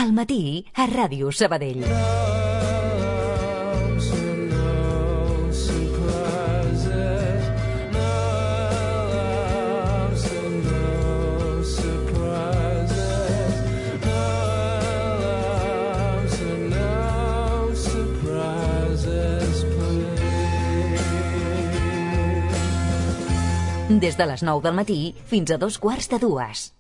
Al matí, a Ràdio Sabadell. Des de les 9 del matí fins a 2:15.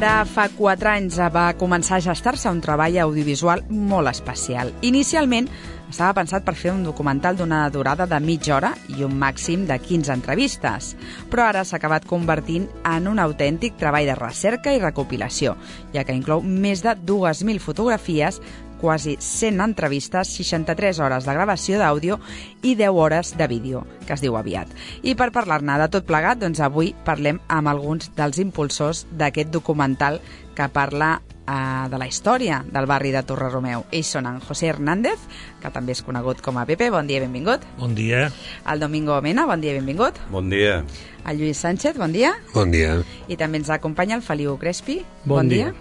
Ara fa 4 anys va començar a gestar-se un treball audiovisual molt especial. Inicialment estava pensat per fer un documental d'una durada de mitja hora i un màxim de 15 entrevistes, però ara s'ha acabat convertint en un autèntic treball de recerca i recopilació, ja que inclou més de 2.000 fotografies, quasi 100 entrevistes, 63 hores de gravació d'àudio i 10 hores de vídeo, que es diu aviat. I per parlar-ne de tot plegat, doncs avui parlem amb alguns dels impulsors d'aquest documental que parla de la història del barri de Torre-Romeu. Ells són en José Hernández, que també és conegut com a Pepe, bon dia i benvingut. Bon dia. El Domingo Mena, bon dia i benvingut. Bon dia. El Lluís Sánchez, bon dia. Bon dia. I també ens acompanya el Feliu Crespi. Bon dia.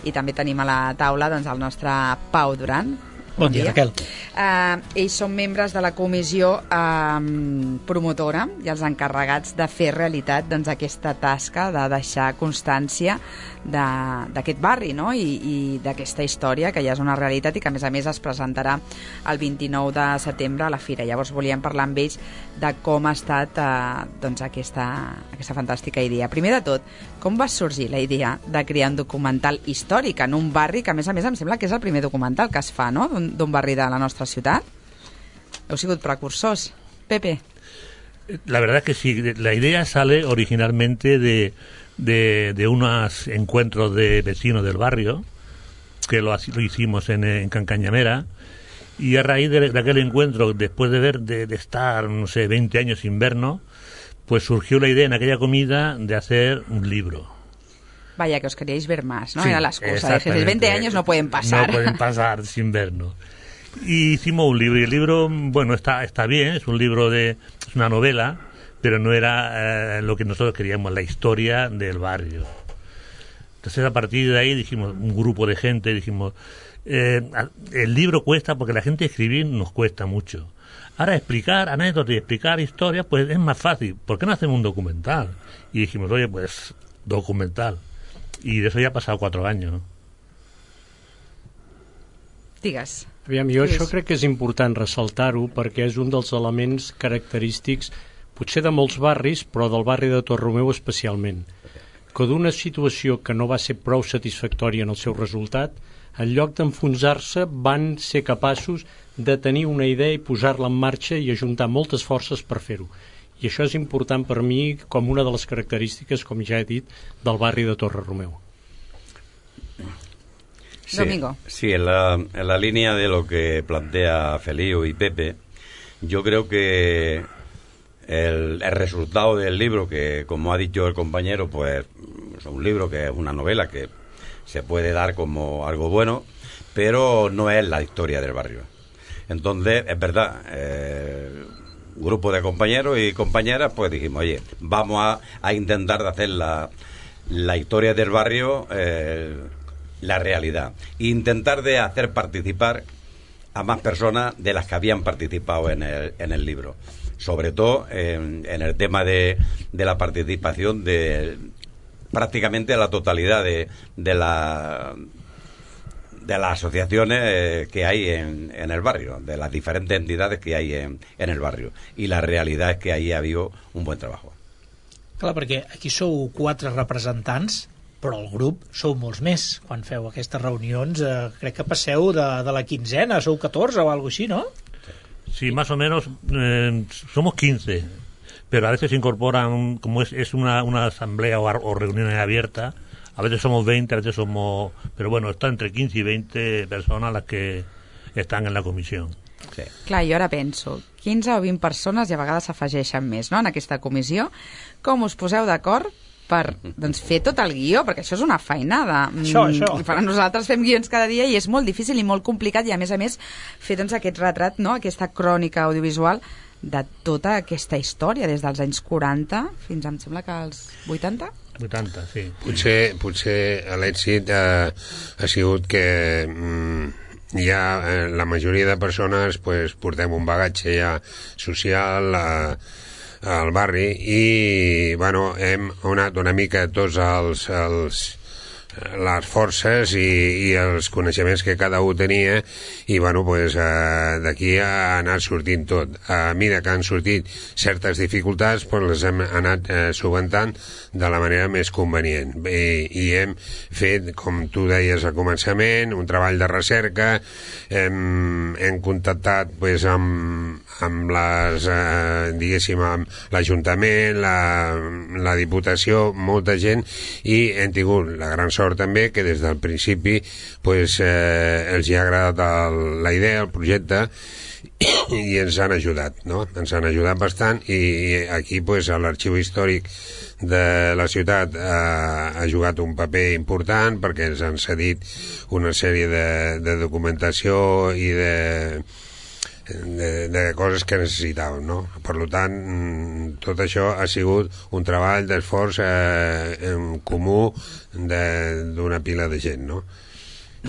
I també tenim a la taula doncs, el nostre Pau Duran. Bon dia, Raquel. Ells són membres de la comissió promotora i els encarregats de fer realitat doncs, aquesta tasca de deixar constància d'aquest barri, no? I d'aquesta història que ja és una realitat i que a més es presentarà el 29 de setembre a la Fira. Llavors volíem parlar amb ells de com ha estat doncs, aquesta fantàstica idea. Primer de tot, com va sorgir la idea de crear un documental històric en un barri que a més em sembla que és el primer documental que es fa, no?, d'un barri de la nostra ciutat? Heu sigut precursors. Pepe. La verdad es que sí, la idea sale originalmente de unos encuentros de vecinos del barrio, que lo hicimos en Cancañamera, y a raíz de aquel encuentro, después de estar, no sé, 20 años sin vernos, pues surgió la idea en aquella comida de hacer un libro. Vaya, que os queríais ver más, ¿no? Sí, Era la excusa. Dices, 20 años no pueden pasar. No pueden pasar sin vernos. Y hicimos un libro, y el libro, bueno, está bien, es un libro es una novela, pero no era lo que nosotros queríamos, la historia del barrio. Entonces, a partir de ahí dijimos, un grupo de gente, dijimos, el libro cuesta porque la gente escribir nos cuesta mucho. Ahora explicar anécdotas y explicar historias, pues es más fácil. ¿Por qué no hacemos un documental? Y dijimos, oye, pues, documental. I d'això ja ha passat 4 anys, no? Digues. Aviam, jo això crec que és important ressaltar-ho perquè és un dels elements característics potser de molts barris, però del barri de Torre-Romeu especialment, que d'una situació que no va ser prou satisfactòria en el seu resultat, en lloc d'enfonsar-se van ser capaços de tenir una idea i posar-la en marxa i ajuntar moltes forces per fer-ho. I això és important per mi com una de les característiques, com ja he dit, del barri de Torre-Romeu. Sí, Domingo. Sí, en la línea de lo que plantea Feliu y Pepe, yo creo que el resultado del libro, que como ha dicho el compañero, pues es un libro que es una novela que se puede dar como algo bueno, pero no es la historia del barrio. Entonces, es verdad, grupo de compañeros y compañeras, pues dijimos, oye, vamos a intentar de hacer la historia del barrio, la realidad, e intentar de hacer participar a más personas de las que habían participado en el libro, sobre todo en el tema de la participación de prácticamente la totalidad de las asociaciones que hay en el barrio, de las diferentes entidades que hay en el barrio. I la realitat és que ahí ha habido un buen trabajo. Clar, perquè aquí sou 4 representants, però el grup sou molts més. Quan feu aquestes reunions, crec que passeu de la quinzena, sou 14 o algo així, ¿no? Sí, más o menos, somos 15, pero a veces se incorporan, como es una asamblea o reunión abierta. A veces somos 20, a veces somos... Pero bueno, está entre 15 y 20 personas las que están en la comisión. Sí. Clar, jo ara penso, 15 o 20 persones i a vegades s'afegeixen més, no?, en aquesta comissió. Com us poseu d'acord per fer tot el guió? Perquè això és una feinada. Això. I per a nosaltres fem guions cada dia i és molt difícil i molt complicat, i a més fer aquest retrat, no?, aquesta crònica audiovisual de tota aquesta història, des dels anys 40 fins, em sembla que als 80? 80, sí. Potser l'èxit ha sigut que ja la majoria de persones pues, portem un bagatge ja social al barri i bueno, hem unat una mica tots les forces i els coneixements que cada un tenia i bueno, pues, d'aquí ha anat sortint tot. A mesura que han sortit certes dificultats pues, les hem anat solventant de la manera més convenient i hem fet, com tu deies al començament, un treball de recerca, hem contactat pues, amb les diguéssim amb l'Ajuntament, la Diputació, molta gent, i hem tingut la gran sort també que des del principi pues, els hi ha agradat la idea, el projecte, i ens han ajudat, no? Ens han ajudat bastant i aquí pues, l'Arxiu Històric de la ciutat ha jugat un paper important perquè ens han cedit una sèrie de documentació i de coses que necessitàvem, no? Per tant, tot això ha sigut un treball d'esforç en comú d'una pila de gent, no?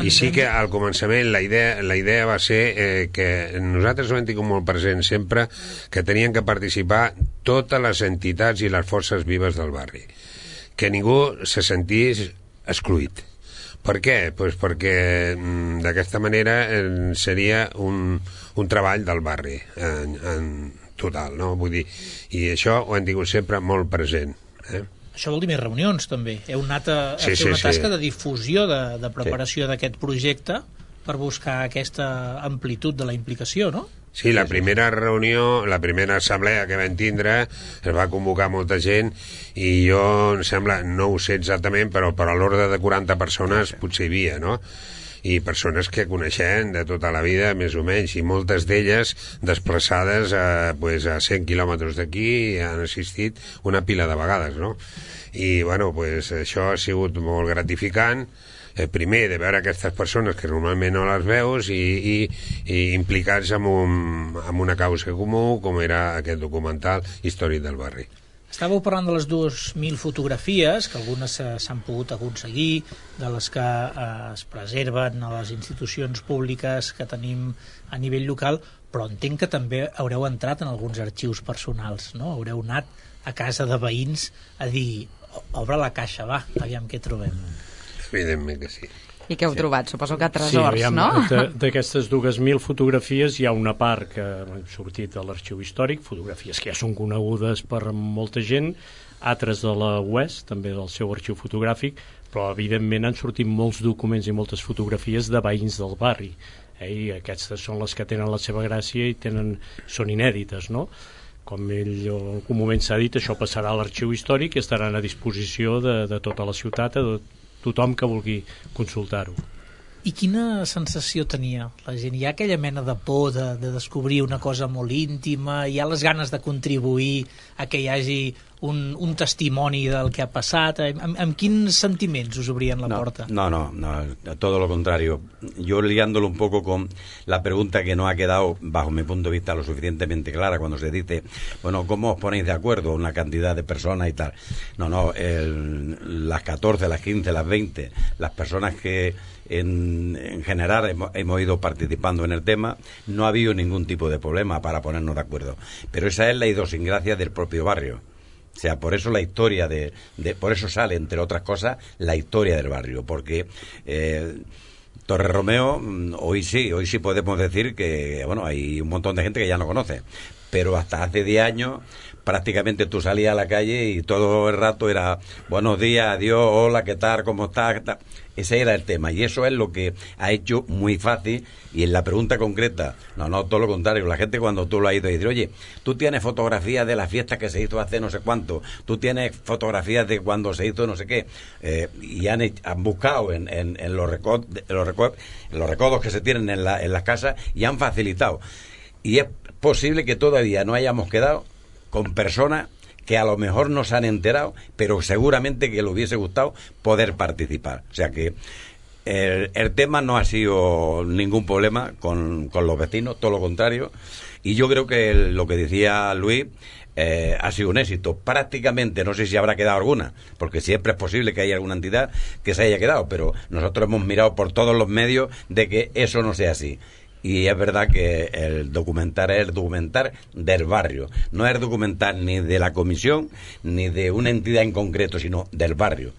I sí que al començament la idea va ser que nosaltres ho hem tingut molt present sempre, que tenien que participar totes les entitats i les forces vives del barri, que ningú se sentís excluït. Per què? Pues perquè d'aquesta manera seria un treball del barri en total, no? Vull dir, i això ho hem tingut sempre molt present, Això vol dir més reunions, també. Heu anat a fer una tasca de difusió, de preparació d'aquest projecte per buscar aquesta amplitud de la implicació, no? Sí, la primera reunió, la primera assemblea que vam tindre, es va convocar molta gent i jo, em sembla, no ho sé exactament, però per a l'ordre de 40 persones potser hi havia, no? I persones que coneixen de tota la vida, més o menys, i moltes d'elles desplaçades a 100 quilòmetres d'aquí han assistit una pila de vegades, no? I, bueno, pues, això ha sigut molt gratificant, primer de veure aquestes persones que normalment no les veus i implicats en una causa comú com era aquest documental Històric del barri. Estàveu parlant de les 2.000 fotografies, que algunes s'han pogut aconseguir, de les que es preserven a les institucions públiques que tenim a nivell local, però entenc que també haureu entrat en alguns arxius personals, no? Haureu anat a casa de veïns a dir, obre la caixa, va, aviam què trobem. Evidentment que sí. I què heu trobat? Suposo que tresors, no? D'aquestes 2.000 fotografies hi ha una part que ha sortit de l'arxiu històric, fotografies que ja són conegudes per molta gent, altres de la UES, també del seu arxiu fotogràfic, però evidentment han sortit molts documents i moltes fotografies de veïns del barri, i aquestes són les que tenen la seva gràcia i són inèdites, no? Com ell en algun moment s'ha dit, això passarà a l'arxiu històric i estaran a disposició de tota la ciutat, tothom que vulgui consultar-ho. I quina sensació tenia la gent? Hi ha aquella mena de por de descobrir una cosa molt íntima? Hi ha les ganes de contribuir a que hi hagi un testimoni del que ha passat? Amb quins sentiments us obrien la porta? No, todo lo contrario. Yo ligándolo un poco con la pregunta que no ha quedado, bajo mi punto de vista, lo suficientemente clara cuando se dice, bueno, ¿cómo os ponéis de acuerdo una cantidad de personas y tal? Las 14, las 15, las 20, las personas que en general hemos ido participando en el tema, no ha habido ningún tipo de problema para ponernos de acuerdo. Pero esa es la idiosincrasia del propio barrio. O sea, por eso la historia por eso sale, entre otras cosas, la historia del barrio, porque Torre Romeo, hoy sí podemos decir que, bueno, hay un montón de gente que ya no conoce, pero hasta hace 10 años prácticamente tú salías a la calle y todo el rato era buenos días, adiós, hola, ¿qué tal? ¿Cómo estás? Ese era el tema, y eso es lo que ha hecho muy fácil. Y en la pregunta concreta, no, todo lo contrario, la gente cuando tú lo has ido a decir, oye, tú tienes fotografías de la fiesta que se hizo hace no sé cuánto, tú tienes fotografías de cuando se hizo no sé qué, y han buscado en los recodos que se tienen en las casas y han facilitado. Y es posible que todavía no hayamos quedado con personas que a lo mejor no se han enterado, pero seguramente que le hubiese gustado poder participar. O sea que el tema no ha sido ningún problema con los vecinos, todo lo contrario. Y yo creo que lo que decía Luis ha sido un éxito. Prácticamente, no sé si habrá quedado alguna, porque siempre es posible que haya alguna entidad que se haya quedado, pero nosotros hemos mirado por todos los medios de que eso no sea así. Y es verdad que el documental es el documental del barrio, no es el documental ni de la comisión ni de una entidad en concreto, sinó del barrio.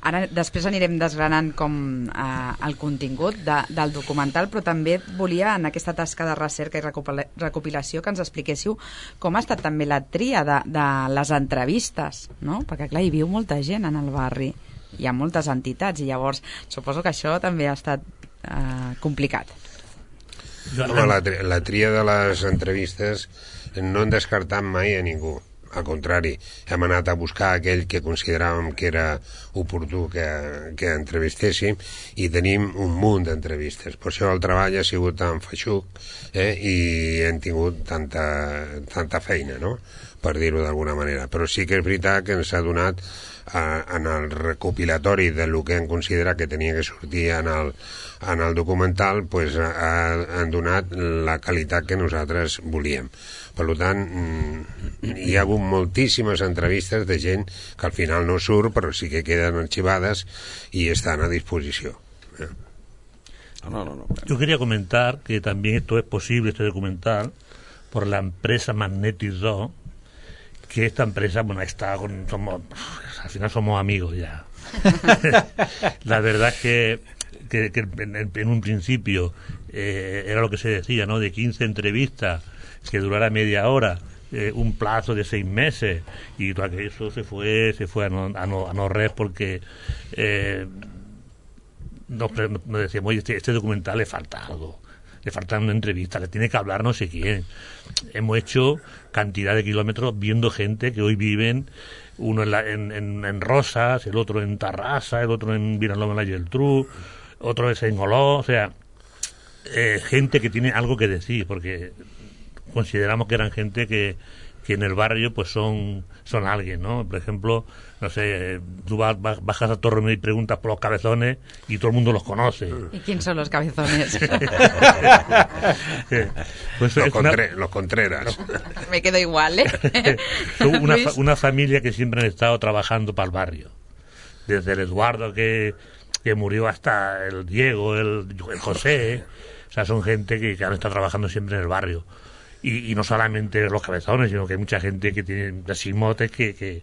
Ara després anirem desgranant com el contingut del documental, però també volia, en aquesta tasca de recerca i recopilació, que ens expliquéssiu com ha estat també la tria de les entrevistes, no? Perquè clar, hi viu molta gent en el barri, hi ha moltes entitats, i llavors suposo que això també ha estat complicat. Home, la tria de les entrevistes no hem descartat mai a ningú. Al contrari, hem anat a buscar aquell que consideràvem que era oportú que entrevistéssim, i tenim un munt d'entrevistes. Per això el treball ha sigut tan feixuc i hem tingut tanta feina, no?, per dir-ho d'alguna manera. Però sí que és veritat que ens ha donat en el recopilatori del que hem considerat que tenia que sortir en el documental, pues han donat la qualitat que nosaltres volíem. Per tant, hi ha hagut moltíssimes entrevistes de gent que al final no surt, però sí que queden arxivades y están a disposición. No. Yo quería comentar que también esto es posible, este documental, por la empresa Magnetic 2, que esta empresa, bueno, al final somos amigos ya. La verdad es que en un principio era lo que se decía, ¿no?, de 15 entrevistas que durara media hora, un plazo de 6 meses, y eso se fue a no res, porque nos decíamos, oye, este documental le falta algo, le falta una entrevista, le tiene que hablar no sé quién. Hemos hecho cantidad de kilómetros viendo gente que hoy viven, uno en Rosas, el otro en Tarrasa, el otro en Vinaloma de la Geltrú, otro es en Oló, o sea, gente que tiene algo que decir, porque consideramos que eran gente que en el barrio pues son alguien, ¿no? Por ejemplo, no sé, tú bajas a Torremolinos y preguntas por los cabezones y todo el mundo los conoce. ¿Y quién son los cabezones? Pues los Contreras. Me quedo igual, ¿eh? Son una familia que siempre han estado trabajando para el barrio. Desde el Eduardo que murió hasta el Diego, el José. O sea, son gente que han estado trabajando siempre en el barrio. Y no solamente los cabezones, sino que hay mucha gente que tiene así motes que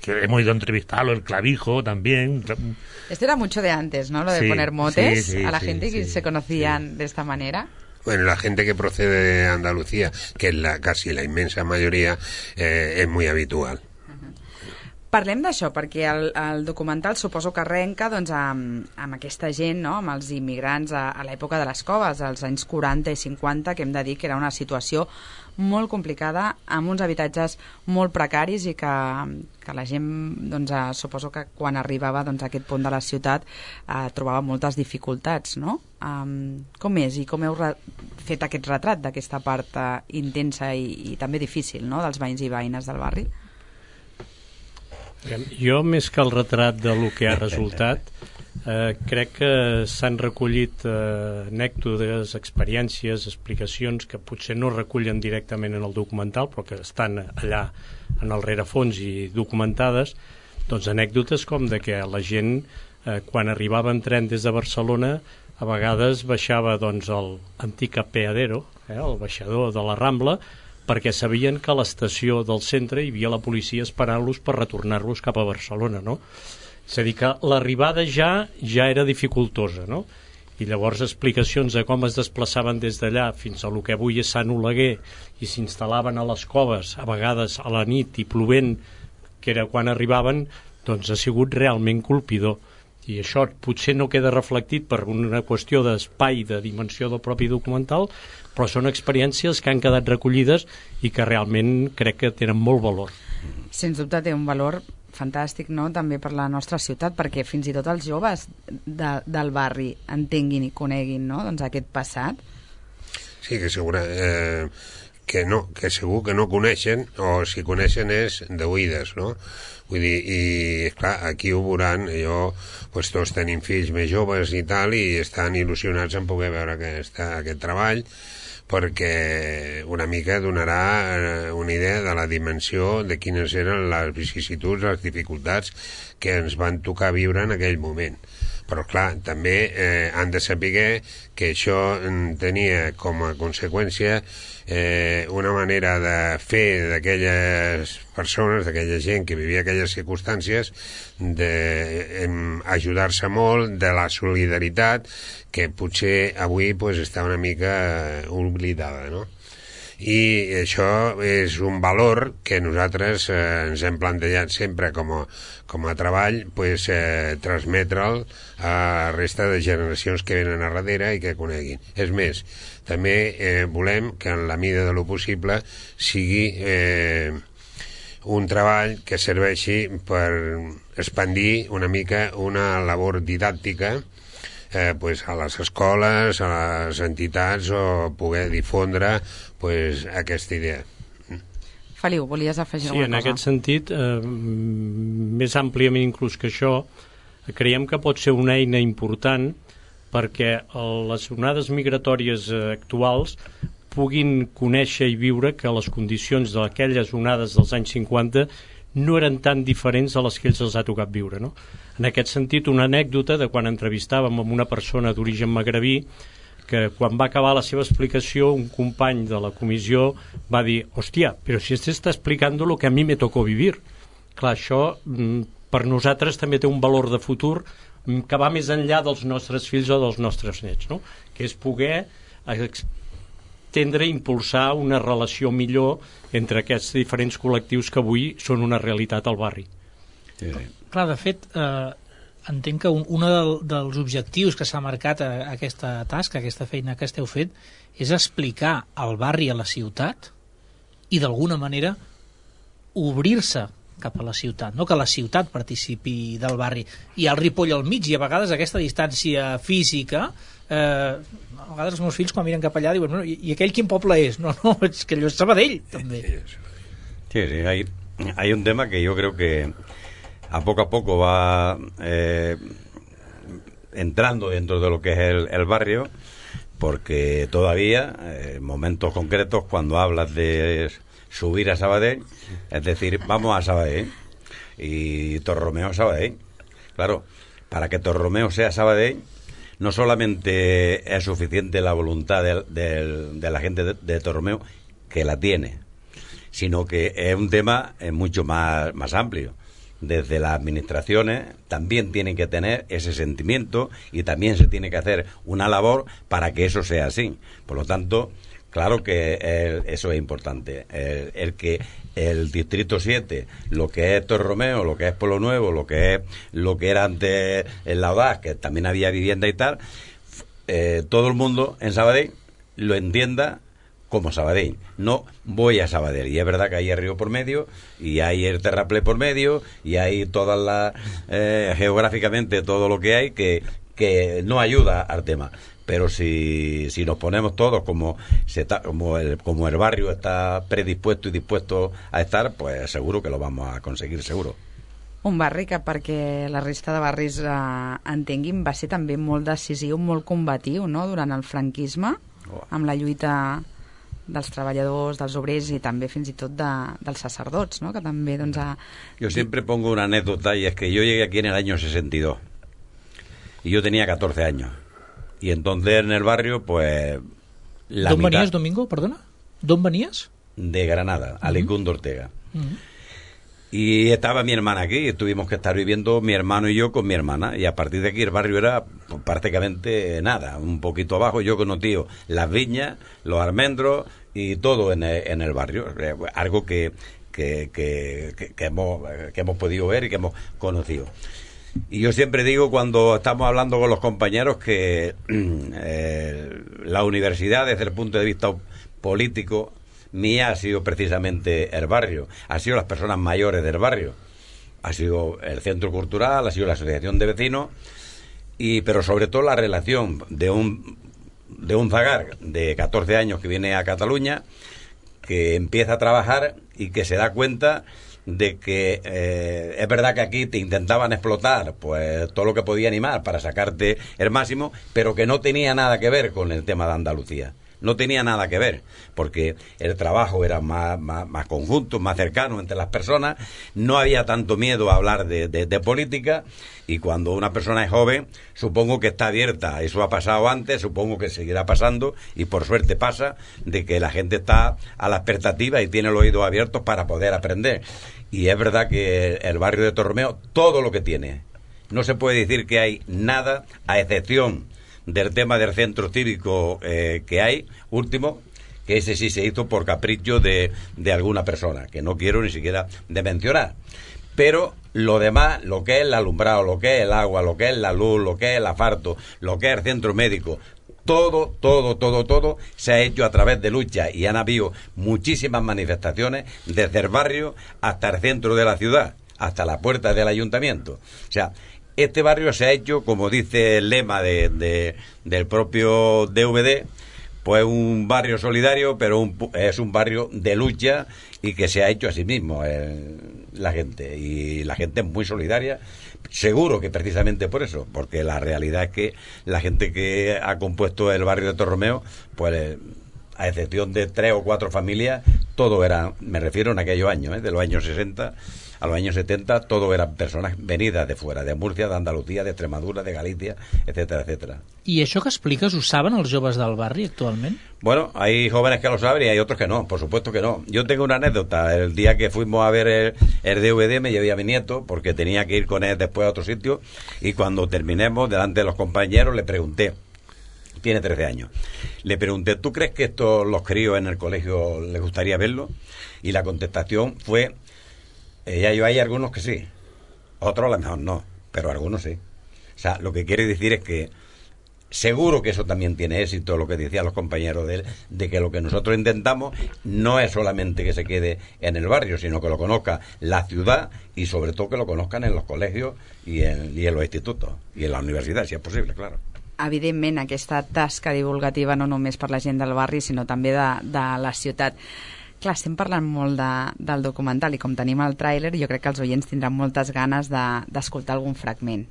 hemos ido a entrevistarlo, el Clavijo también. Esto era mucho de antes, ¿no?, lo de poner motes a la gente que se conocían de esta manera. Bueno, la gente que procede de Andalucía, que es casi la inmensa mayoría, es muy habitual. Parlem d'això, perquè el documental suposo que arrenca doncs, amb aquesta gent, no?, amb els immigrants a l'època de les coves, als anys 40 i 50, que hem de dir que era una situació molt complicada, amb uns habitatges molt precaris i que la gent, doncs, suposo que quan arribava doncs, a aquest punt de la ciutat trobava moltes dificultats, no? Com és i com heu fet aquest retrat d'aquesta part intensa i també difícil, no?, dels veïns i veïnes del barri? Jo, més que el retrat de lo que ha resultat, crec que s'han recollit anècdotes, experiències, explicacions que potser no recullen directament en el documental, però que estan allà en el rerefons i documentades, doncs anècdotes com de que la gent, quan arribava en tren des de Barcelona, a vegades baixava doncs, l'antic apeadero, el baixador de la Rambla, perquè sabien que a l'estació del centre hi havia la policia esperant-los per retornar-los cap a Barcelona, no? És a dir, que l'arribada ja era dificultosa, no? i llavors explicacions de com es desplaçaven des d'allà fins a lo que avui és Sant Oleguer i s'instal·laven a les coves, a vegades a la nit i plovent, que era quan arribaven, doncs ha sigut realment colpidor. I això potser no queda reflectit per una qüestió d'espai, de dimensió del propi documental, però són experiències que han quedat recollides i que realment crec que tenen molt valor. Sens dubte té un valor fantàstic, no?, també per la nostra ciutat, perquè fins i tot els joves del barri entenguin i coneguin, no?, doncs aquest passat. Sí, que que segur que no coneixen, o si coneixen és d'oïdes, no? Vull dir, i esclar, aquí ho veuran, pues, tots tenim fills més joves i tal, i estan il·lusionats en poder veure aquest treball, perquè una mica donarà una idea de la dimensió de quines eren les vicissituds, les dificultats que ens van tocar viure en aquell moment. Però clar, també han de saber que això tenia com a conseqüència una manera de fer d'aquelles persones, d'aquella gent que vivia aquelles circumstàncies, d'ajudar-se molt, de la solidaritat, que potser avui pues, està una mica oblidada, no? I això és un valor que nosaltres ens hem plantejat sempre com a treball, pues, transmetre'l a la resta de generacions que venen a darrere i que coneguin. És més, també volem que en la mida de lo possible sigui un treball que serveixi per expandir una mica una labor didàctica pues a les escoles, a les entitats, o poder difondre pues, aquesta idea. Feliu, volies afegir alguna cosa? Sí, en aquest sentit, més àmpliament inclús que això, creiem que pot ser una eina important perquè les onades migratòries actuals puguin conèixer i viure que les condicions d'aquelles onades dels anys 50 no eren tan diferents a les que ells els ha tocat viure, no? En aquest sentit, una anècdota de quan entrevistàvem amb una persona d'origen magrebí, que quan va acabar la seva explicació, un company de la comissió va dir: hòstia, però si este está explicando lo que a mí me tocó vivir. Clar, això per nosaltres també té un valor de futur que va més enllà dels nostres fills o dels nostres nets, no? Que és poder tendre i impulsar una relació millor entre aquests diferents col·lectius que avui són una realitat al barri. Sí. Clar, de fet, entenc que un dels objectius que s'ha marcat a aquesta tasca, a aquesta feina que esteu fent, és explicar el barri a la ciutat i d'alguna manera obrir-se cap a la ciutat, no que la ciutat participi del barri. Hi ha el Ripoll al mig i a vegades aquesta distància física, a vegades els meus fills quan miren cap allà diuen: bueno, i aquell quin poble és? No, és que allò és Sabadell, també. Sí, hay un tema que yo creo que a poco va entrando dentro de lo que es el barrio, porque todavía, en momentos concretos, cuando hablas de subir a Sabadell, es decir, vamos a Sabadell, y Torromeo a Sabadell. Claro, para que Torromeo sea Sabadell, no solamente es suficiente la voluntad de la gente de Torromeo, que la tiene, sino que es un tema mucho más amplio. Desde las administraciones también tienen que tener ese sentimiento y también se tiene que hacer una labor para que eso sea así. Por lo tanto, claro que eso es importante. El que el Distrito 7, lo que es Torromeo, lo que es Pueblo Nuevo, lo que era antes el Laudaz, que también había vivienda y tal, todo el mundo en Sabadell lo entienda como Sabadell. No voy a Sabadell. Y es verdad que hay el río por medio, y hay el terraplén por medio, y hay todas las geográficamente todo lo que hay que no ayuda al tema. Pero si nos ponemos todos como el barrio está predispuesto y dispuesto a estar, pues seguro que lo vamos a conseguir, seguro. Un barri que, perquè la resta de barris entenguin, va ser també molt decisiu, molt combatiu, no?, durant el franquisme, amb la lluita dels treballadors, dels obrers y també fins i tot dels sacerdots, ¿no?, que també doncs Yo siempre pongo una anécdota, y es que yo llegué aquí en el año 62 y yo tenía 14 años, y entonces en el barrio pues la ¿Dónde mitad... venías, Domingo? Perdona. ¿Dónde venías? De Granada, Alicún de Ortega. Y estaba mi hermana aquí, y tuvimos que estar viviendo mi hermano y yo con mi hermana, y a partir de aquí el barrio era pues, prácticamente nada, un poquito abajo. Yo conocí las viñas, los almendros y todo en el barrio, algo que hemos podido ver y que hemos conocido. Y yo siempre digo, cuando estamos hablando con los compañeros, que la universidad, desde el punto de vista político, mía ha sido precisamente el barrio, ha sido las personas mayores del barrio, ha sido el centro cultural, ha sido la asociación de vecinos, pero sobre todo la relación de un zagar de 14 años que viene a Cataluña, que empieza a trabajar y que se da cuenta de que es verdad que aquí te intentaban explotar pues todo lo que podía animar para sacarte el máximo, pero que no tenía nada que ver con el tema de Andalucía. No tenía nada que ver, porque el trabajo era más conjunto, más cercano entre las personas, no había tanto miedo a hablar de política, y cuando una persona es joven, supongo que está abierta. Eso ha pasado antes, supongo que seguirá pasando, y por suerte pasa, de que la gente está a la expectativa y tiene los oídos abiertos para poder aprender. Y es verdad que el barrio de Torromeo, todo lo que tiene, no se puede decir que hay nada, a excepción del tema del centro cívico que hay, último, que ese sí se hizo por capricho de alguna persona, que no quiero ni siquiera de mencionar. Pero lo demás, lo que es el alumbrado, lo que es el agua, lo que es la luz, lo que es el asfalto, lo que es el centro médico, todo se ha hecho a través de lucha, y han habido muchísimas manifestaciones desde el barrio hasta el centro de la ciudad, hasta la puerta del ayuntamiento. O sea, este barrio se ha hecho, como dice el lema del propio DVD, pues un barrio solidario, pero es un barrio de lucha, y que se ha hecho a sí mismo la gente. Y la gente es muy solidaria, seguro que precisamente por eso, porque la realidad es que la gente que ha compuesto el barrio de Torromeo, pues a excepción de 3 o 4 familias, todo era, me refiero en aquellos años, de los años 60 a los años 70, todo eran personas venidas de fuera, de Murcia, de Andalucía, de Extremadura, de Galicia, etcétera, etcétera. I això que expliques, ho saben els joves del barri actualment? Bueno, hay jóvenes que lo saben y hay otros que no, por supuesto que no. Yo tengo una anécdota. El día que fuimos a ver el DVD me llevé a mi nieto porque tenía que ir con él después a otro sitio, y cuando terminemos, delante de los compañeros, le pregunté, tiene 13 años, le pregunté, ¿tú crees que los críos en el colegio les gustaría verlo? Y la contestación fue, hay algunos que sí, otros a lo mejor no, pero algunos sí. O sea, lo que quiere decir es que seguro que eso también tiene éxito, lo que decían los compañeros de él, de que lo que nosotros intentamos no es solamente que se quede en el barrio, sino que lo conozca la ciudad, y sobre todo que lo conozcan en los colegios y en los institutos y en la universidad, si es posible, claro. Evidentment, aquesta tasca divulgativa no només per la gent del barri, sinó també de la ciutat. Clar, estem parlant molt del documental, i com tenim el tràiler, jo crec que els oients tindran moltes ganes d'escoltar algun fragment.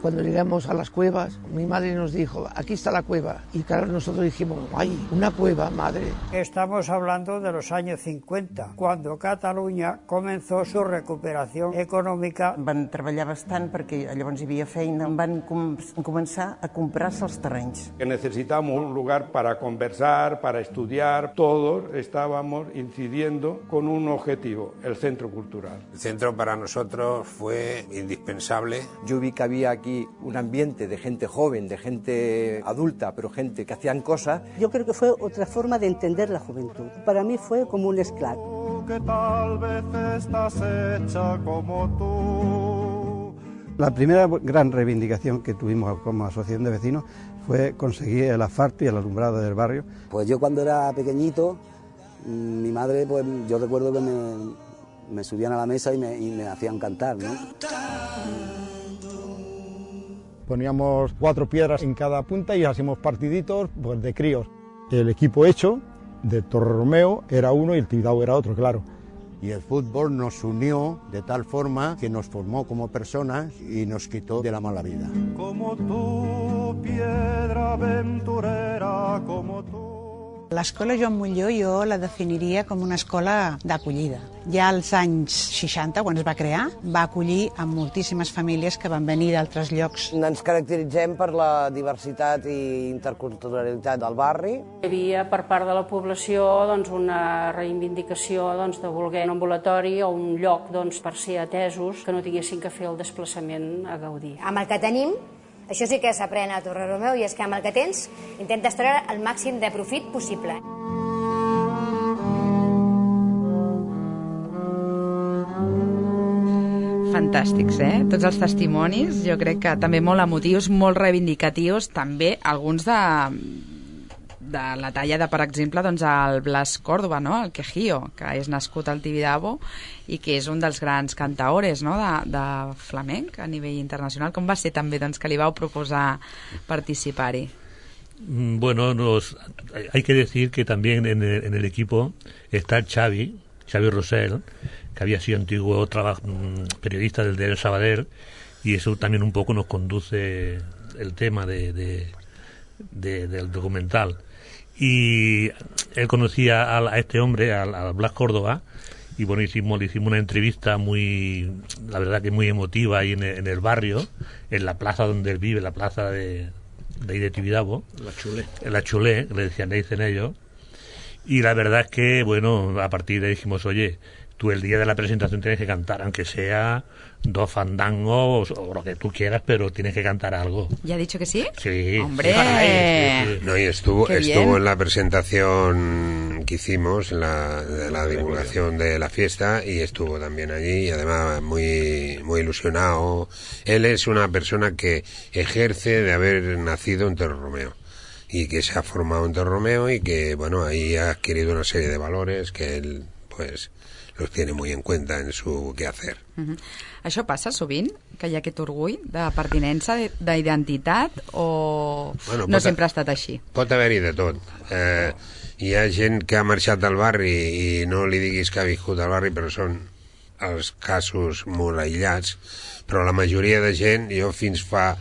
Cuando llegamos a las cuevas, mi madre nos dijo, aquí está la cueva. Y claro, nosotros dijimos, ¡ay, una cueva, madre! Estamos hablando de los años 50, cuando Catalunya comenzó su recuperación econòmica. Van treballar bastant perquè llavors hi havia feina. Van començar a comprar-se els terrenys. Necesitamos un lugar para conversar, para estudiar. Todos estábamos incidiendo con un objetivo, el centro cultural. El centro para nosotros fue indispensable. Yo vi que había aquí un ambiente de gente joven, de gente adulta, pero gente que hacían cosas. Yo creo que fue otra forma de entender la juventud. Para mí fue como un esclave. Que tal vez estás hecha como tú. La primera gran reivindicación que tuvimos como asociación de vecinos fue conseguir el asfalto y el alumbrado del barrio. Pues yo cuando era pequeñito, mi madre, pues yo recuerdo que me subían a la mesa y me hacían cantar, ¿no? Poníamos 4 piedras en cada punta y hacíamos partiditos pues, de críos. El equipo hecho de Torromeo era uno y el Tibidabo era otro, claro. Y el fútbol nos unió de tal forma que nos formó como personas y nos quitó de la mala vida. Como tú, piedra aventurera, como tú. L'escola Joan Montllor jo la definiria com una escola d'acollida. Ja als anys 60, quan es va crear, va acollir a moltíssimes famílies que van venir d'altres llocs. Ens caracteritzem per la diversitat i interculturalitat del barri. Hi havia per part de la població una reivindicació de voler un ambulatori o un lloc per ser atesos que no tinguessin que fer el desplaçament a Gaudí. Amb el que tenim, això sí que s'aprèn a Torreромeu, i és que amb el que tens intentes treure el màxim de profit possible. Fantàstics, Tots els testimonis, jo crec que també molt emotius, molt reivindicatius, també alguns de la talla de, per exemple, el Blas Córdoba, no? El Quejío, que és nascut al Tibidabo i que és un dels grans cantaores, no? de flamenc a nivell internacional. Com va ser també que li vau proposar participar-hi? Bueno, hay que decir que también en el equipo está Xavi Rosell, que había sido antiguo periodista del diario Sabadell, y eso también un poco nos conduce el tema del documental. Y él conocía a este hombre, a Blas Córdoba, y bueno, le hicimos una entrevista la verdad que muy emotiva ahí en el barrio, en la plaza donde él vive, la plaza de ahí de Tibidabo, la Chulé, le dicen ellos. Y la verdad es que, bueno, a partir de ahí dijimos, oye, tú el día de la presentación tienes que cantar, aunque sea 2 fandangos o lo que tú quieras, pero tienes que cantar algo. ¿Ya ha dicho que sí? Sí. ¡Hombre! Sí. No, y estuvo en la presentación que hicimos, de la divulgación de la fiesta, y estuvo también allí, y además muy, muy ilusionado. Él es una persona que ejerce de haber nacido en Torreромeo, y que se ha formado en Torreромeo, y que, bueno, ahí ha adquirido una serie de valores que él, pues, los tiene muy en cuenta en su quehacer. Això passa sovint, que hi ha aquest orgull de pertinença, d'identitat, o no sempre ha estat així? Pot haver-hi de tot. Hi ha gent que ha marxat del barri i no li diguis que ha viscut al barri, però són els casos molt aïllats, però la majoria de gent, jo fins fa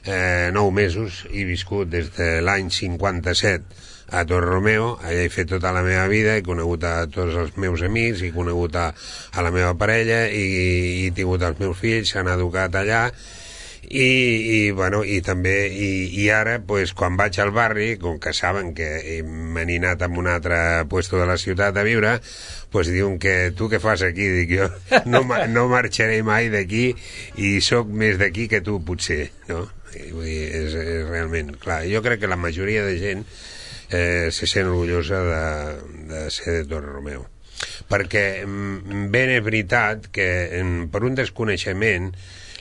9 mesos he viscut des de l'any 57 a Torreромeo, allà he fet tota la meva vida, he conegut a tots els meus amics, he conegut a la meva parella, i he tingut els meus fills, s'han educat allà, i ara, pues, quan vaig al barri, com que saben que m'he anat a un altre puesto de la ciutat a viure, pues diuen que tu què fas aquí? Dic, jo no marxaré mai d'aquí, i sóc més d'aquí que tu, potser, no? Vull dir, és realment clar. Jo crec que la majoria de gent se sent orgullosa de ser de Torreромeu, perquè ben és veritat que per un desconeixement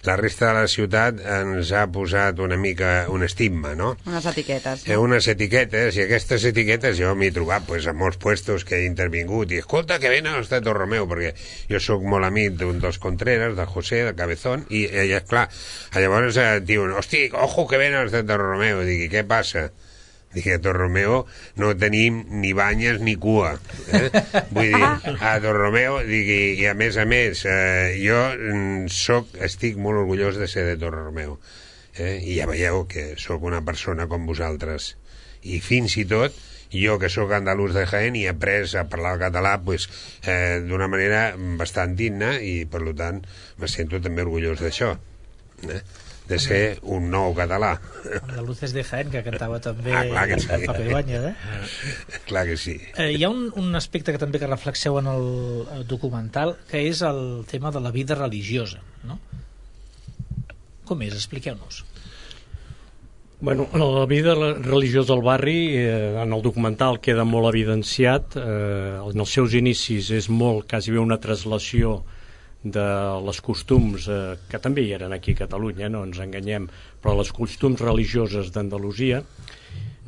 la resta de la ciutat ens ha posat una mica un estigma, no? Unes etiquetes, no? Unes etiquetes, i aquestes etiquetes jo m'he trobat pues, a molts puestos que he intervingut, i escolta, que venen els de Torreромeu, perquè jo sóc molt amic d'un dels Contreras, del José, del Cabezón, i clar, llavors diuen, hosti, ojo que venen els de Torreromeu, i dic, què passa? Dic, a Torreромeu no tenim ni banyes ni cua. Vull dir, a Torreромeu, i a més, jo estic molt orgullós de ser de Torreромeu. I ja veieu que sóc una persona com vosaltres. I fins i tot, jo que sóc andalús de Jaén i he après a parlar el català pues, d'una manera bastant digna, i per tant me sento també orgullós d'això. De ser un nou català. Andaluces de Jaén, que cantava també Pape Ibáñez, Clar que sí. Hi ha un aspecte que també que reflexeu en el documental, que és el tema de la vida religiosa, no? Com és? Expliqueu-nos. Bueno, la vida religiosa del barri en el documental queda molt evidenciat. En els seus inicis és molt, quasi bé una translació de les costums que també hi eren aquí a Catalunya, no ens enganyem, però les costums religioses d'Andalusia.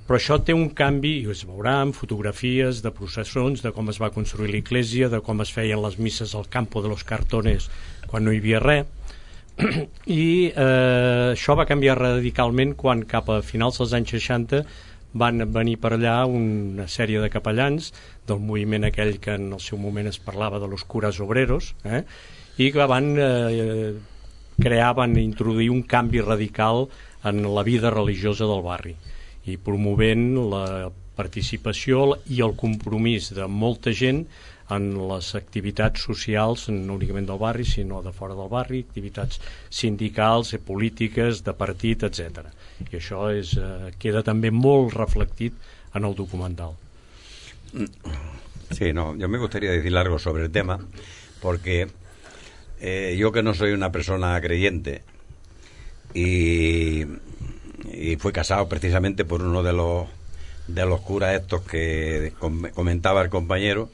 Però això té un canvi, i es veurà en fotografies de processons, de com es va construir l'església, de com es feien les misses al Campo de los Cartones quan no hi havia res. I això va canviar radicalment quan cap a finals dels anys 60 van venir per allà una sèrie de capellans del moviment aquell que en el seu moment es parlava de los curas obreros, i que van introduir un canvi radical en la vida religiosa del barri, i promovent la participació i el compromís de molta gent en les activitats socials, no únicament del barri, sinó de fora del barri, activitats sindicals, polítiques, de partit, etc. I això queda també molt reflectit en el documental. Sí, no, yo me gustaría decir algo sobre el tema, porque yo que no soy una persona creyente y fui casado precisamente por uno de los curas estos que comentaba el compañero,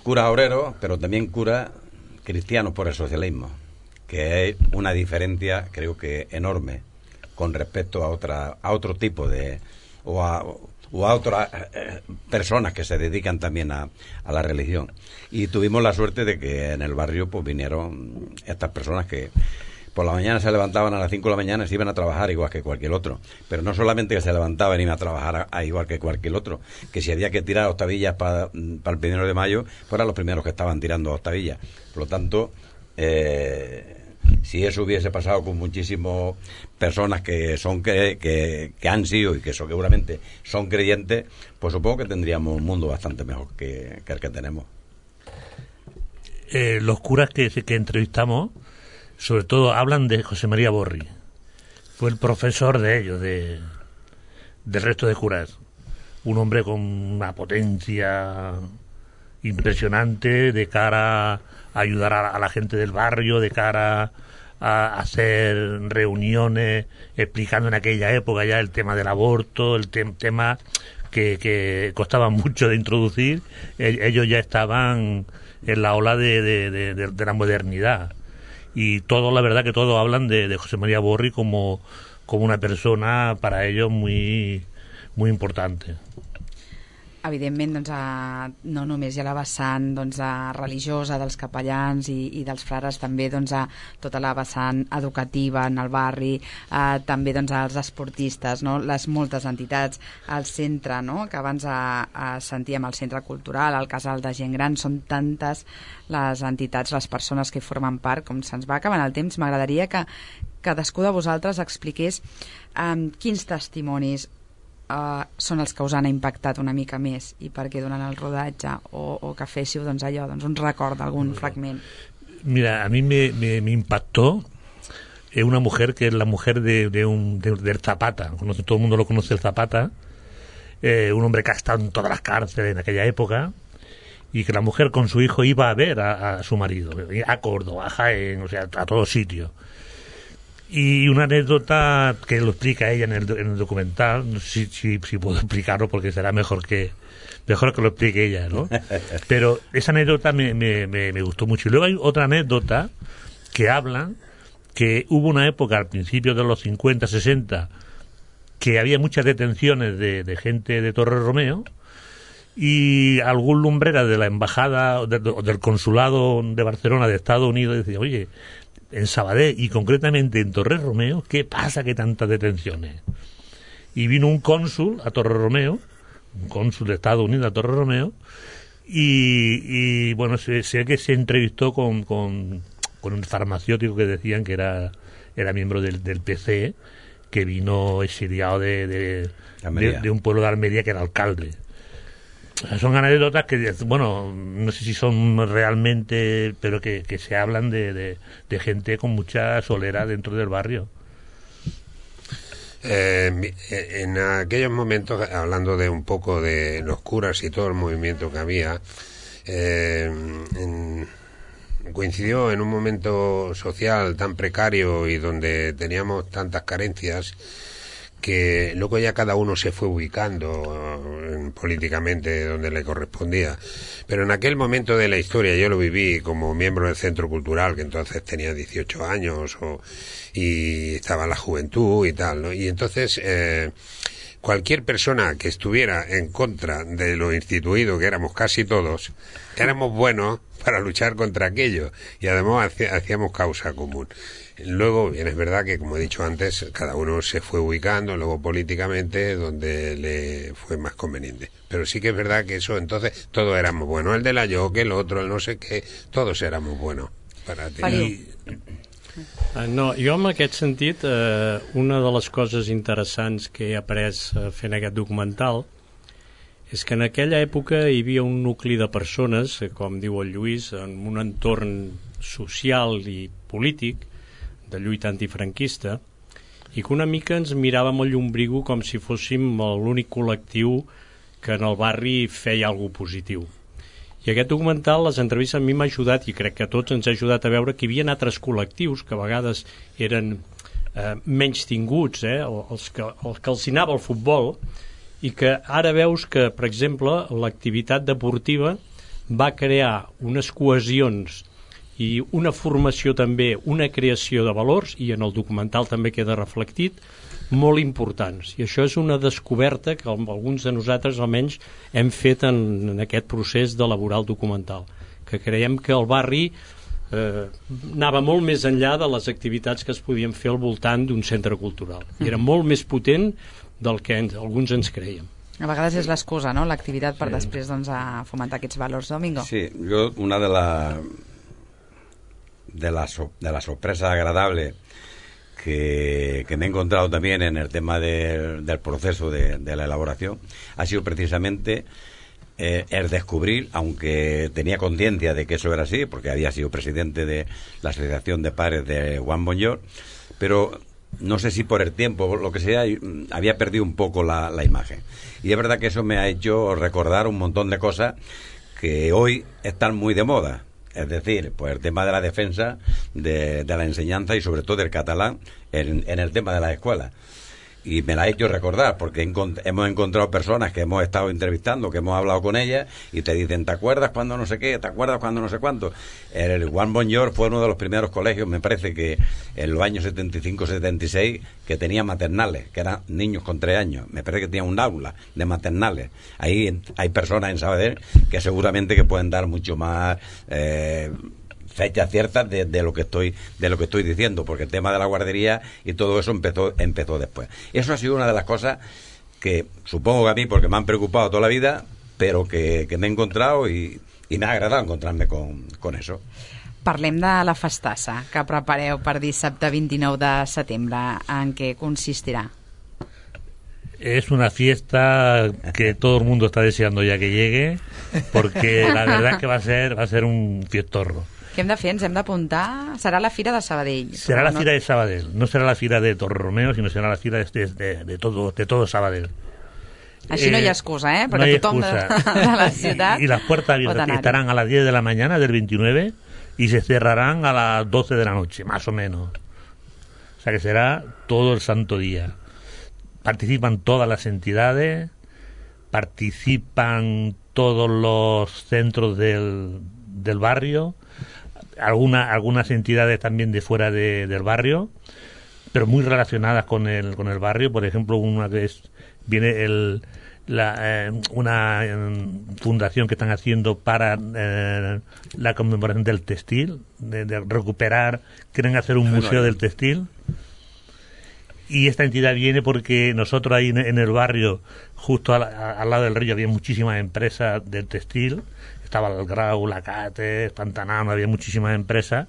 curas obreros, pero también curas cristianos por el socialismo, que es una diferencia creo que enorme con respecto a otro tipo de o a otras personas que se dedican también a la religión. Y tuvimos la suerte de que en el barrio pues vinieron estas personas que por la mañana se levantaban a las 5 de la mañana y se iban a trabajar igual que cualquier otro. Pero no solamente que se levantaban y iban a trabajar igual que cualquier otro, que si había que tirar octavillas para el 1 de mayo, fueran los primeros que estaban tirando octavillas. Por lo tanto, si eso hubiese pasado con muchísimas personas que han sido y que seguramente son creyentes, pues supongo que tendríamos un mundo bastante mejor que el que tenemos. Los curas que entrevistamos sobre todo hablan de José María Borri. Fue el profesor de ellos, del resto de curas. Un hombre con una potencia impresionante de cara a ayudar a la gente del barrio, de cara a hacer reuniones explicando en aquella época ya el tema del aborto, el tema que costaba mucho de introducir. Ellos ya estaban en la ola de la modernidad. Y todo, la verdad que todos hablan de José María Borri como una persona para ellos muy, muy importante. Evidentment, doncs, no només hi ha la vessant religiosa dels capellans i dels frares, també tota la vessant educativa en el barri, també els esportistes, no? Les moltes entitats, el centre, no? Que abans sentíem el centre cultural, el casal de gent gran, són tantes les entitats, les persones que formen part. Com se'ns va acabant el temps, m'agradaria que cadascú de vosaltres expliqués quins testimonis són els que us han impactat una mica més i perquè durant el rodatge o que féssiu un record d'algun fragment. Mira, a mí me impactó una mujer que es la mujer del Zapata. Todo el mundo lo conoce, el Zapata, un hombre que ha estado en todas las cárceles en aquella época, y que la mujer con su hijo iba a ver a su marido, a Córdoba, a Jaén, o sea, a todos sitios. Y una anécdota que lo explica ella en el documental, no sé si puedo explicarlo porque será mejor que lo explique ella, ¿no? Pero esa anécdota me gustó mucho. Y luego hay otra anécdota que hablan que hubo una época al principio de los 50, 60 que había muchas detenciones de gente de Torreromeo, y algún lumbrera de la embajada o del consulado de Barcelona de Estados Unidos decía, oye, en Sabadell y concretamente en Torreromeo, ¿qué pasa que tantas detenciones? Y vino un cónsul a Torreromeo, un cónsul de Estados Unidos a Torreromeo, y bueno, sé que se entrevistó con un farmacéutico que decían que era miembro del PC, que vino exiliado de un pueblo de Almería, que era alcalde. Son anécdotas que, bueno, no sé si son realmente, pero que se hablan de gente con mucha solera dentro del barrio. En aquellos momentos, hablando de un poco de los curas y todo el movimiento que había, coincidió en un momento social tan precario y donde teníamos tantas carencias, que luego ya cada uno se fue ubicando políticamente donde le correspondía. Pero en aquel momento de la historia yo lo viví como miembro del Centro Cultural, que entonces tenía 18 años y estaba en la juventud y tal, ¿no? Y entonces cualquier persona que estuviera en contra de lo instituido, que éramos casi todos, éramos buenos para luchar contra aquello, y además hacíamos causa común. Luego, bien, es verdad que, como he dicho antes, cada uno se fue ubicando, luego políticamente, donde le fue más conveniente. Pero sí que es verdad que eso, entonces, todos éramos buenos. El de la Yoque, el otro, el no sé qué, todos éramos buenos. No, jo en aquest sentit, una de les coses interessants que he après fent aquest documental és que en aquella època hi havia un nucli de persones, com diu el Lluís, en un entorn social i polític de lluita antifranquista, i que una mica ens miràvem el llumbrigo com si fóssim l'únic col·lectiu que en el barri feia alguna cosa positiu. I aquest documental, les entrevistes a mi m'ha ajudat, i crec que a tots ens ha ajudat a veure que hi havia altres col·lectius que a vegades eren menys tinguts, els que els anava al futbol, i que ara veus que, per exemple, l'activitat deportiva va crear unes cohesions i una formació també, una creació de valors, i en el documental també queda reflectit, molt importants. I això és una descoberta que alguns de nosaltres almenys hem fet en aquest procés d'elaborar el documental, que creiem que el barri anava molt més enllà de les activitats que es podien fer al voltant d'un centre cultural. I era molt més potent del que alguns ens creiem. A vegades és l'excusa, no?, l'activitat per després a fomentar aquests valors. Domingo. Sí, yo una de la sorpresa agradable que me he encontrado también en el tema del proceso de la elaboración ha sido precisamente el descubrir, aunque tenía conciencia de que eso era así, porque había sido presidente de la Asociación de Padres de Juan Bonjour, pero no sé si por el tiempo o lo que sea, había perdido un poco la imagen. Y es verdad que eso me ha hecho recordar un montón de cosas que hoy están muy de moda. Es decir, pues el tema de la defensa de la enseñanza y sobre todo del catalán en el tema de las escuelas. Y me la ha hecho recordar, porque hemos encontrado personas que hemos estado entrevistando, que hemos hablado con ellas, y te dicen, ¿te acuerdas cuando no sé qué? ¿Te acuerdas cuando no sé cuánto? El Juan Bonjour fue uno de los primeros colegios, me parece que en los años 75-76, que tenía maternales, que eran niños con 3 años. Me parece que tenía un aula de maternales. Ahí hay personas en Sabadell que seguramente que pueden dar mucho más fechas ciertas de lo que estoy diciendo, porque el tema de la guardería y todo eso empezó después. Eso ha sido una de las cosas que supongo que a mí, porque me han preocupado toda la vida, pero que me he encontrado y me ha agradado encontrarme con eso. Parlem de la festassa que prepareu per dissabte 29 de setembre. En què consistirà? Es una fiesta que todo el mundo está deseando ya que llegue, porque la verdad es que va a ser un fiestorro. Què hem de fer? Ens hem d'apuntar? Serà la Fira de Sabadell. Será la Fira de Sabadell. No será la Fira de Torromeo, sino será la Fira de todo Sabadell. Així no hi ha excusa, perquè no hay tothom excusa. de la ciutat y las puertas abiertas estarán a las 10 de la mañana del 29 y se cerrarán a las 12 de la noche, más o menos. O sea que será todo el santo día. Participan todas las entidades, participan todos los centros del barrio, algunas entidades también de fuera del barrio, pero muy relacionadas con el barrio. Por ejemplo, una que viene una fundación que están haciendo para la conmemoración del textil, de recuperar, quieren hacer un museo del textil. Y esta entidad viene porque nosotros ahí en el barrio, justo al lado del río, había muchísimas empresas del textil. Estaba el Grau, la Cate, Pantanal, había muchísimas empresas,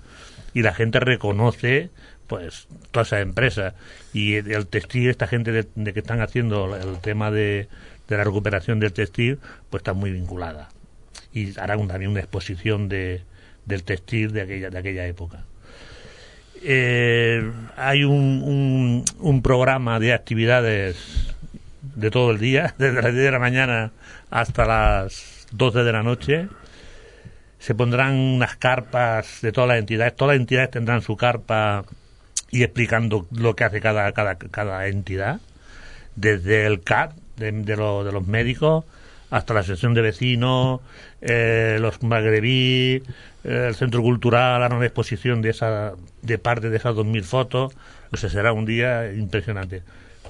y la gente reconoce pues todas esas empresas. Y el textil, esta gente de que están haciendo el tema de la recuperación del textil, pues está muy vinculada. Y harán también una exposición del textil de aquella época. Hay un programa de actividades de todo el día, desde las 10 de la mañana hasta las 12 de la noche. Se pondrán unas carpas de todas las entidades tendrán su carpa y explicando lo que hace cada entidad, desde el CAT de los médicos hasta la sección de vecinos, los magrebí, el centro cultural, hará una exposición de parte de esas 2.000 fotos. O sea, será un día impresionante.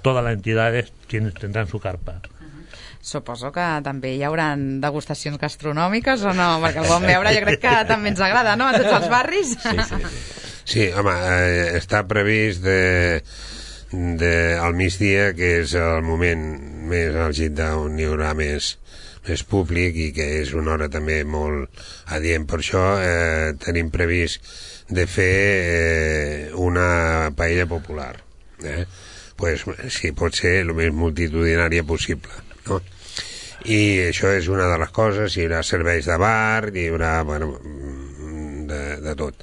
Todas las entidades tendrán su carpa. Suposo que també hi haurà degustacions gastronòmiques o no? Perquè el bon beure jo crec que també ens agrada, no?, a tots els barris. Sí, home, està previst al migdia, que és el moment més àlgid on hi haurà més públic i que és una hora també molt adient. Per això tenim previst de fer una paella popular. Pues sí, pot ser el més multitudinària possible, no? I això és una de les coses. Hi haurà serveis de bar, hi haurà, bueno, de tot.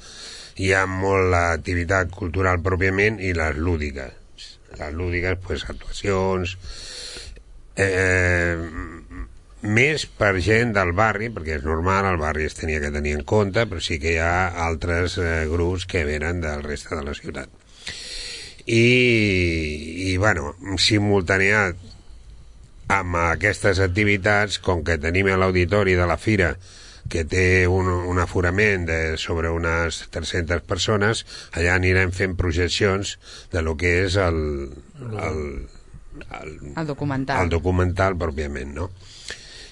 Hi ha molt l'activitat cultural pròpiament i les lúdiques. Les lúdiques, pues, actuacions, més per gent del barri, perquè és normal, el barri es tenia que tenir en compte, però sí que hi ha altres grups que venen del reste de la ciutat. I bueno, simultaneat amb aquestes activitats, com que tenim l'auditori de la Fira, que té un aforament de sobre unes 300 persones, allà anirem fent projeccions de lo que és el documental pròpiament, no?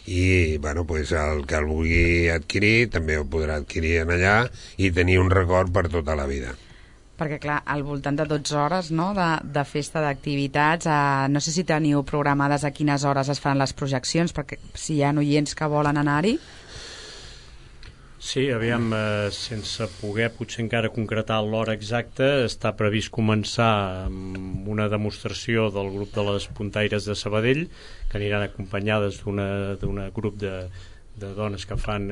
I, bueno, pues el que el vulgui adquirir també ho podrà adquirir en allà i tenir un record per tota la vida. Perquè, clar, al voltant de 12 hores, no?, de festa, d'activitats, no sé si teniu programades a quines hores es faran les projeccions, perquè si hi ha oients que volen anar-hi. Sí, aviam, sense poder potser encara concretar l'hora exacta, està previst començar amb una demostració del grup de les puntaires de Sabadell, que aniran acompanyades d'un grup de dones que fan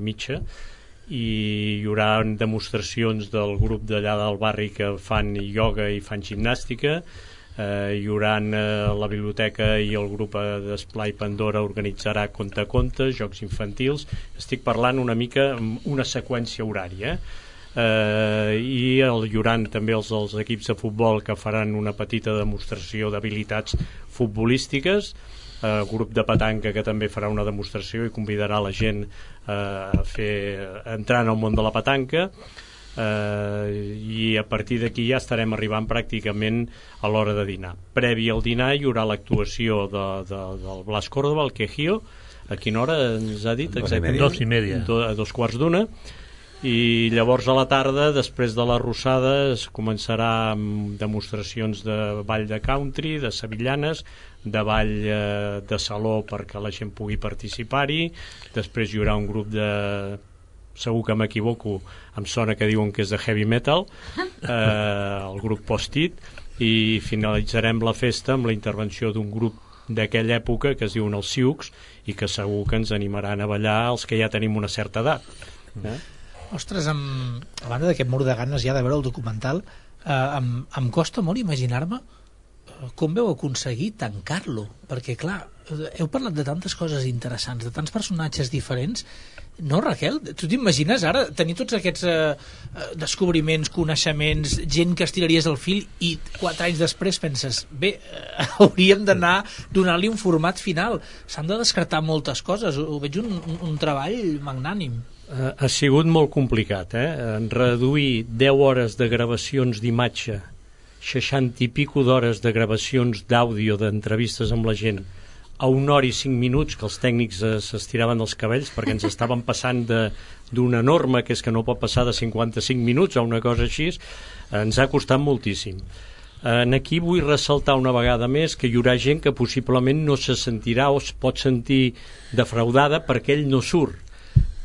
mitja, i hi haurà demostracions del grup d'allà del barri que fan ioga i fan gimnàstica. Hi haurà la biblioteca i el grup d'Esplai Pandora organitzarà conte a conte, jocs infantils. Estic parlant una mica amb una seqüència horària, i hi haurà també els equips de futbol que faran una petita demostració d'habilitats futbolístiques, el grup de petanca que també farà una demostració i convidarà la gent a entrar en el món de la petanca, i a partir d'aquí ja estarem arribant pràcticament a l'hora de dinar. Previ al dinar hi haurà l'actuació del Blas Córdoba, el Quejío. A quina hora ens ha dit exactament? 2:30. A 2:45. I llavors a la tarda, després de la Rossada, es començarà amb demostracions de ball de country, de sevillanes, de ball de saló perquè la gent pugui participar-hi. Després hi haurà un grup de, segur que m'equivoco, em sona que diuen que és de heavy metal, el grup Post-it, i finalitzarem la festa amb la intervenció d'un grup d'aquella època que es diuen els Siucs i que segur que ens animaran a ballar els que ja tenim una certa edat. Ostres, a banda d'aquest mur de ganes ja de veure el documental, em costa molt imaginar-me com veu aconseguir tancar-lo, perquè clar, heu parlat de tantes coses interessants, de tants personatges diferents. No, Raquel? Tu t'imagines ara tenir tots aquests descobriments, coneixements, gent que estiraries el fil i 4 anys després penses, bé, hauríem d'anar donant-li un format final. S'han de descartar moltes coses. Ho veig un treball magnànim. Ha sigut molt complicat, reduir 10 hores de gravacions d'imatge, 60 i pico d'hores de gravacions d'àudio, d'entrevistes amb la gent, a 1 hora i 5 minuts, que els tècnics s'estiraven els cabells perquè ens estaven passant d'una norma que és que no pot passar de 55 minuts a una cosa així, ens ha costat moltíssim. Aquí vull ressaltar una vegada més que hi haurà gent que possiblement no se sentirà o es pot sentir defraudada perquè ell no surt,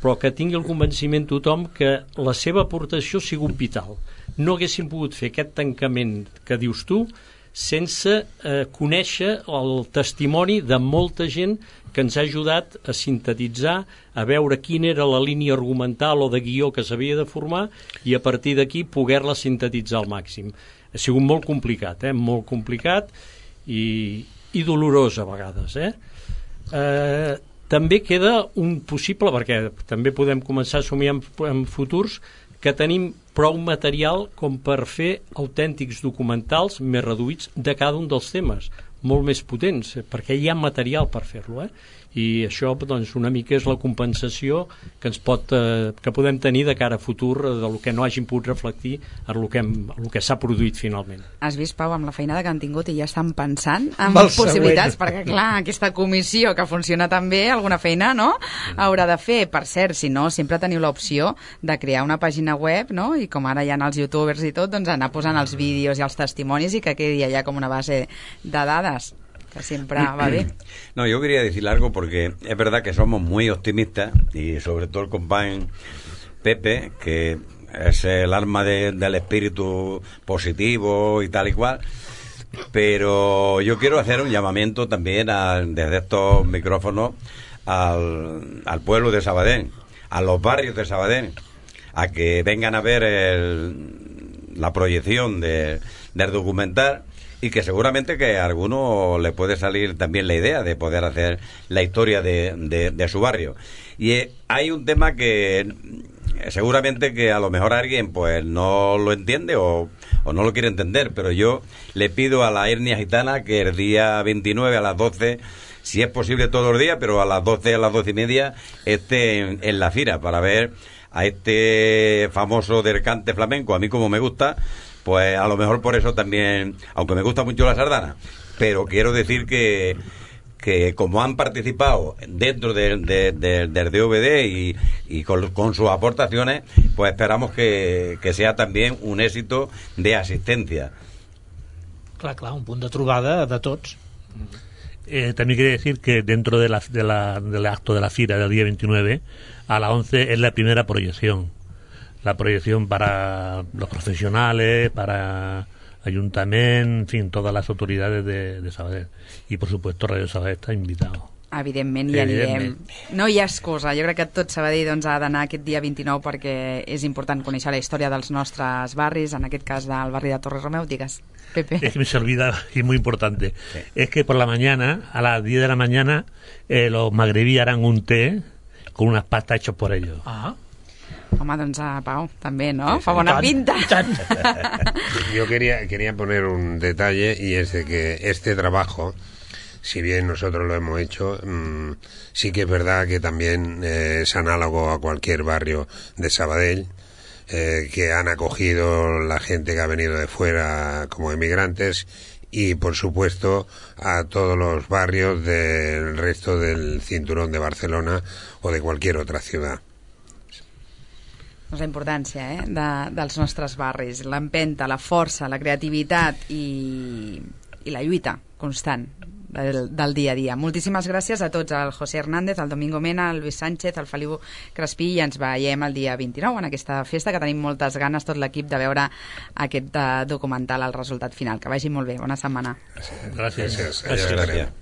però que tingui el convenciment tothom que la seva aportació ha sigut vital. No haguéssim pogut fer aquest tancament que dius tu sense conèixer el testimoni de molta gent que ens ha ajudat a sintetitzar, a veure quina era la línia argumental o de guió que s'havia de formar i a partir d'aquí poder-la sintetitzar al màxim. Ha sigut molt complicat, molt complicat i dolorós a vegades. També queda un possible, perquè també podem començar a somiar en futurs, que tenim prou material com per fer autèntics documentals més reduïts de cada un dels temes, molt més potents, perquè hi ha material per fer-lo, i això doncs, una mica és la compensació que podem tenir de cara a futur del que no hagin pogut reflectir en el que s'ha produït finalment. Has vist, Pau, amb la feinada que han tingut i ja estan pensant en possibilitats, perquè clar, aquesta comissió que funciona tan bé, alguna feina, no?, haurà de fer. Per cert, si no, sempre teniu l'opció de crear una pàgina web, no?, i com ara hi ha els youtubers i tot, doncs anar posant els vídeos i els testimonis i que quedi allà com una base de dades, que siempre va bien. No, yo quería decir algo porque es verdad que somos muy optimistas y sobre todo el compañero Pepe, que es el arma del espíritu positivo y tal y cual. Pero yo quiero hacer un llamamiento también desde estos micrófonos al pueblo de Sabadell, a los barrios de Sabadell, a que vengan a ver la proyección del documental, y que seguramente que a alguno le puede salir también la idea de poder hacer la historia de su barrio. Y hay un tema que seguramente que a lo mejor alguien pues no lo entiende o no lo quiere entender, pero yo le pido a la etnia gitana que el día 29 a las 12, si es posible todos los días, pero a las 12, a las 12:30, esté en la Cira para ver a este famoso del cante flamenco. A mí, como me gusta, pues a lo mejor por eso también, aunque me gusta mucho la sardana, pero quiero decir que como han participado dentro del DVD y con sus aportaciones, pues esperamos que sea también un éxito de asistencia. Clar, un punt de trobada de tots. También quiere decir que dentro del acto de la Fira del día 29, a las 11 es la primera proyección. La proyección para los profesionales, para Ayuntament, en fin, todas les autoritats de Sabadell. I, per supuesto, Radio Sabadell està invitat. Evidentment, hi anirem. No hi ha excusa. Jo crec que tot Sabadell doncs, ha d'anar aquest dia 29 perquè és important conèixer la història dels nostres barris, en aquest cas del barri de Torre Romeu. Digues, Pepe. Es que me se olvida, y es muy importante. Sí. Es que por la mañana, a las 10 de la mañana, los magrebí harán un té con unas pastas hechas por ellos. Ah. Home, doncs Pau, també, ¿no? Fa bona pinta. Yo quería poner un detalle, y es de que este trabajo, si bien nosotros lo hemos hecho, sí que es verdad que también es análogo a cualquier barrio de Sabadell, que han acogido la gente que ha venido de fuera como emigrantes, y por supuesto a todos los barrios del resto del cinturón de Barcelona o de cualquier otra ciudad. La importància dels nostres barris, l'empenta, la força, la creativitat i la lluita constant del dia a dia. Moltíssimes gràcies a tots, al José Hernández, al Domingo Mena, al Luis Sánchez, al Feliu Crespí, i ens veiem el dia 29 en aquesta festa, que tenim moltes ganes, tot l'equip, de veure aquest documental, el resultat final. Que vagi molt bé, bona setmana. Gràcies. Gràcies.